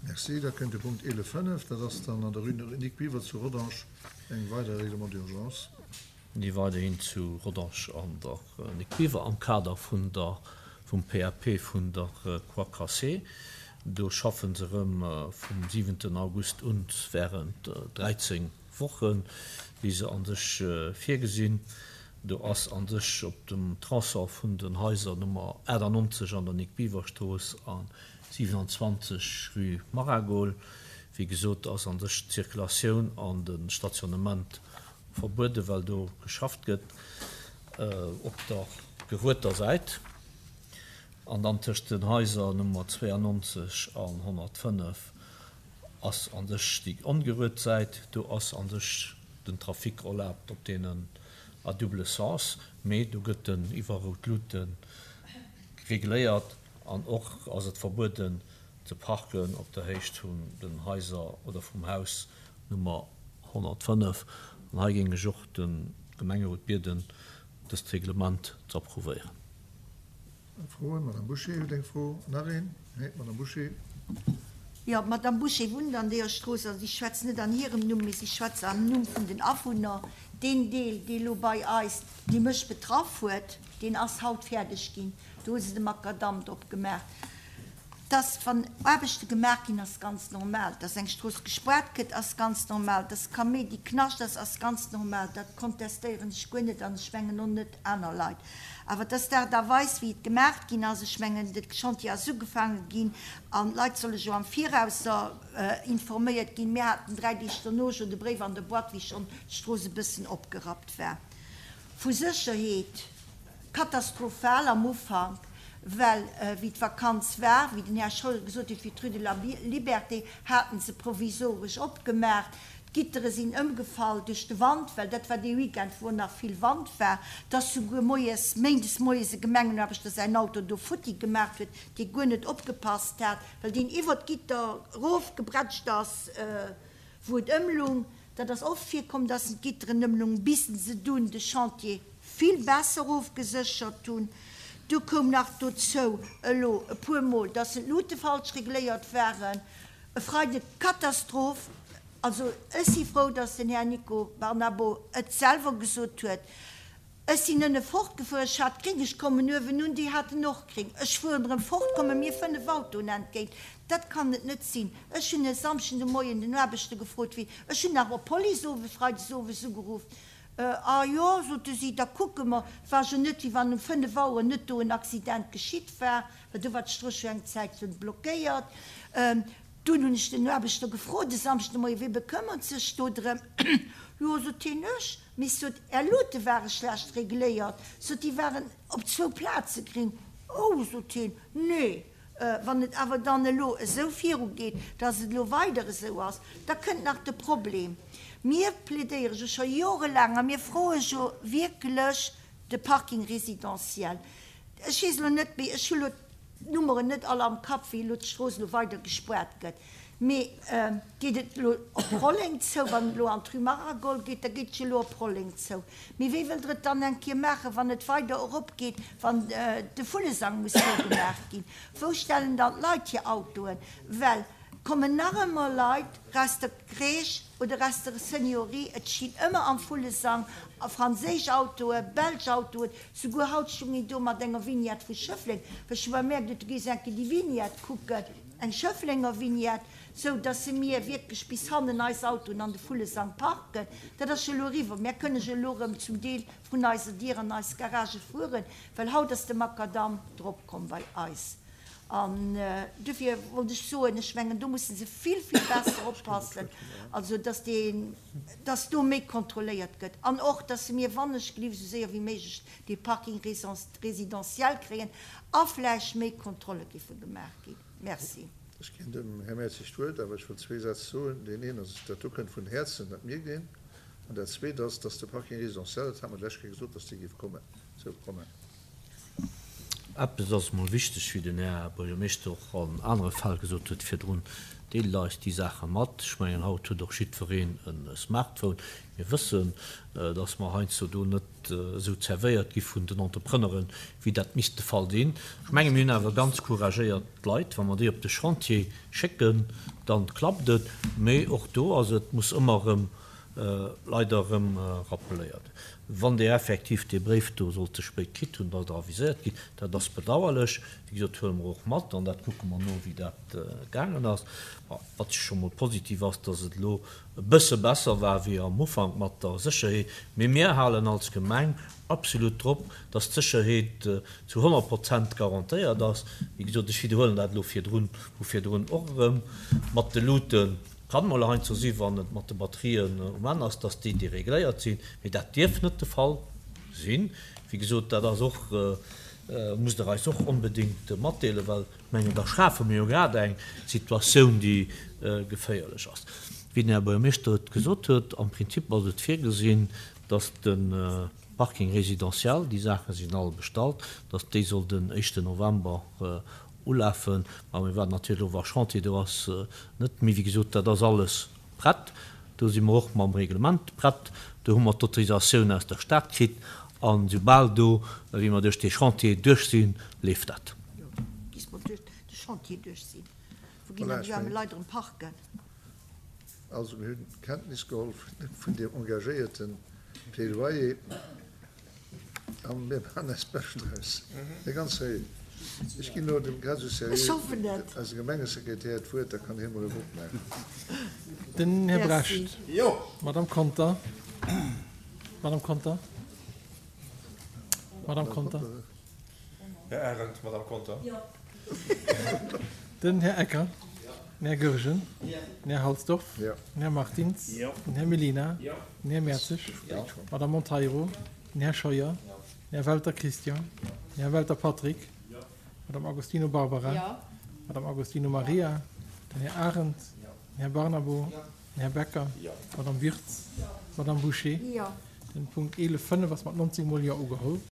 Merci. Da kënnt de Punkt 11,5, dat ass dann an der Rue Nic Biver zu Rodange eng weider Règlement d'urgence. Déi weiderhin zu Rodange an der Nic Biver am Kader vun der, vum PAP vun der Croix Cassée. Do schaffe se erëm vum siwenten August un während 13 Wochen, wéi se a sech virgesinn. Do ass a sech op dem Tronçon vun den Haiser Nummer 98 an der Nic Biver Strooss a 27 rue Maragol, wéi gesot, ass a sech d'Circulatioun an de Stationnement verbueden, well do geschafft gëtt op der gerueter Säit. An dann tëscht den Haiser Nummer 92 an 105 ass a sech déi ongeruet Säit. Do ass a sech den Trafic erlaabt op deenen à double sens, mee do gëtt en iwwer rout Luute regléiert an och ass et verbueden ze parken op der Héicht vun den Haiser oder vum Haus Nummer 105. An hei géing ech och de Gemengerot bieden, dëst Reglement ze approuvéieren. Froen? D'Madame Bouché huet eng Fro. Nach een? Nee, d'Madame Bouché. Jo, d'Madame Bouché wunnt an deeër Strooss. Also si schwätzt net an hirem Numm, mee si schwätzt am Numm vun den Awunner. Deen Deel, dee lo bei eis, dee mech betraff huet, deen ass haut fäerdeg ginn. Do hu se de Makadamm drop gemaach. Dass, wann Aarbechte gemaach ginn, ass ganz normal. Dass eng Strooss gespaart gëtt, ass ganz normal. Dass Kaméidi Knascht ass, ass ganz normal. Dat kontestéieren ech guer net an ech mengen och net aner Leit. Awer dass d'Aart a Weis, wéi et gemaach ginn ass, ech mengen, de Chantier ass ugefaange ginn an d'Leit solle jo am Virausser informéiert ginn. Mir haten 3 Deeg dono jo de Bréif an der Boîte, wéi schonn d'Strooss e bëssen opgerappt war. Vu Sécherheet katastrophal am Ufank, well wéi d'Vakanz war, wéi den Här Scheuer gesot huet, wéi d'Rue de la Liberté haten se provisoresch opgemaach, d'Gittere sinn ëmgefall duerch de Wand, well dat war dee Weekend, wou nach vill Wand war, dass souguer moies, méindes moies e Gemengenaarbechter säin Auto do futti gemaach huet, dee guer net opgepasst hat, well deen iwwer d'Gitter erofgebrätscht ass, wou et ëmlung. Dat ass oft virkomm, dass en d'Gitteren ëmlung, bis se dunn de Chantier vill besser ofgeséchert hunn. Du koum nach dozou elo e puer Mol, dass en d'Luute falsch regléiert waren. E Freide Katastroph. Also ech si frou, dass den Här Nico Barnabo et selwer gesot huet. Ech sinn ënne fortgefuer, ech hat gring, ech kommen uewen un, déi haten och gring. Ech fueren erëm fort, komme mir 5 Autoen entgéint. Dat kann et net sinn. Ech hunn e Samschden de Moien den Aarbechter gefrot, wéi, ech hunn nach op d'Police owes, freides owes ugeruff. A jo, sote si, da kucke mer. Et war jo net, wéi wann um 5 Auer net do en Accident geschitt war, well do war d'Strooss jo eng Zäit laang blockéiert. Dunn hunn ech den Aarbechter gefrot e Samschden de Moien, Wie bekëmmert sech do drëm? Jo, sot hien, ech. Mee sot, Är Luute ware schlecht regléiert, sot, déi waren op zwou Plaze gring. Oh, sot hien, nee, wann et awer dann elo esou virugeet, dass et elo weider esou ass, da kënnt nach de Problem. Mir plädéiere jo scho jorelaang a mir froe jo wierklech de Parking résidentiel. Ech weess elo net méi, ech hu elo d'Nummeren net all am Kapp, wéi elo d'Strooss elo weider gespuart gëtt. Mee geet et elo op Rolleng zou? Wann et elo an d'Rue Maragol geet, da geet et jo elo op Rolleng zou. Mee wéi wëllt Der et dann eng Kéier maachen, wann et weider eropgeet, wann de Vullesang muss zougemaach ginn? Wou stellen dann d'Leit hir Autoen? Well et kommen nach ëmmer Leit aus der Crèche oder aus der Seniorie, et stinn ëmmer am Vullesang franséisch Autoen, belsch Autoen, souguer haut stoung een do mat enger Vignette vu Schëffleng, well ech hu bemerkt, du gees eng Kéier déi Vignette kucken. Eng Schëfflenger Vignette, sou dass se mir wierklech bis hannen eis Autoen an de Vullesang parken. Dat ass jo elo eriwwer. Mär kënne jo elo erëm zum Deel vrun eiser Dier an eis Garage fueren, well haut ass de Makadamm drop komm bei eis. An dofir wollt ech soen, ech mengen, do musse se vill, vill besser oppassen, also dass dee, dass do méi kontrolléiert gëtt. An och, dass se mir wannechgelift esou séier wéi méiglech dee Parking résidentiel kréien a vläicht méi Kontrolle géife gemaach ginn. Merci. Ech ginn dem Här Mertzig d'Wuert, awer ech wëll zwee Sätz soen. Deen een ass, dat do kënnt vun Häerzen, dat mierkt een. An dat Zweet ass, dass de Parking résidentiel, dat hat mer d'lescht Kéier gesot, dass dee géif kommen. Sou, Romain. Eppes ass emol wichteg, wéi den Här Buergermeeschter och an anere Fäll gesot huet virdrun, Deelt eis déi Saache mat. Ech mengen, haut huet och jiddwereen e Smartphone. Mir wëssen, dass mer heiansdo do net esou zerwéiert gi vun den Entrepreneuren, wéi dat misst de Fall sinn. Ech menge mir hunn awer ganz couragéiert Leit. Wa mer déi op de Chantier schécken, da klappt et. Mee och do ass et, muss ëmmer erëm leider erëm rappeléiert. Wann Dir effektiv dee Bréif do sollt ze spéit kritt hunn, datt Der aviséiert gitt, dat ass bedauerlech. Wéi gesot, huele mer och mat an dat kucke mer no, wéi dat gaangen ass. Wat scho mol positiv ass, datt et elo e bësse besser war wéi am Ufank mat der Sécherheet. Mee mir halen als Gemeng absolut drop, datt d'Sécherheet zu 100 Prozent garantéiert ass. Wéi gesot, ech widderhuelen dat elo virdrun, vu virdrun och erëm, mat de Luuten. Kann mol heiansdo si wann et mat de Batterien um Enn ass, dass déi deregléiert sinn, mee dat dierf net de Fall sinn. Wéi gesot, dat ass och, musst Der eis och onbedéngt matdeelen, well ech mengen, da schafe mir jo grad eng Situatioun, déi geféierlech ass. Wéi den Här Buergermeeschter et gesot huet, am Prinzip ass et virgesinn, dass de Parking résidentiel, déi Saache sinn all bestallt, dass déi soll den éischten November Ulafen. Ma mir waarden natierlech och, wa Chantier do ass, net. Mee wéi gesot, dat ass alles prett. Do si mer och mam Reglement prett. Do hu mer d'Autorisatioun aus der Stad kritt. A soubal do, wéi mer duerch dee Chantier duerch sinn, leeft dat. Jo, bis mer duerch de Chantier duerch sinn. Wou ginn dann déi aarme Leit erëm parken? Also mir hunn Kenntnis geholl vun deem engagéierte Plädoyer. A mir maachen eist Bescht draus. Här Ganzeré, ech ginn elo dem Casus Serré, eisem Gemengesekretär, d'Wuert, da kann hie mol e Vott maachen. Den Här Brecht. Madame Conter. Madame Conter. Madame Conter. Här Arendt. Madame Conter. Den Här Ecker. Den Här Goergen. Den Här Halsdorf. Den Här Martins. Den Här Mellina. Den Här Mertzig. D'Madame Monteiro. Den Här Scheuer. Den Här Welter Christian. Den Här Welter Patrick. D'Madame Agostino Barbara. D'Madame Agostino Maria. Den Här Arendt. Den Här Barnabo. Den Här Becker. D'Madame Wirtz. D'Madame Bouché. Den Punkt 11, 5 ass mat 19 mol Jo ugeholl.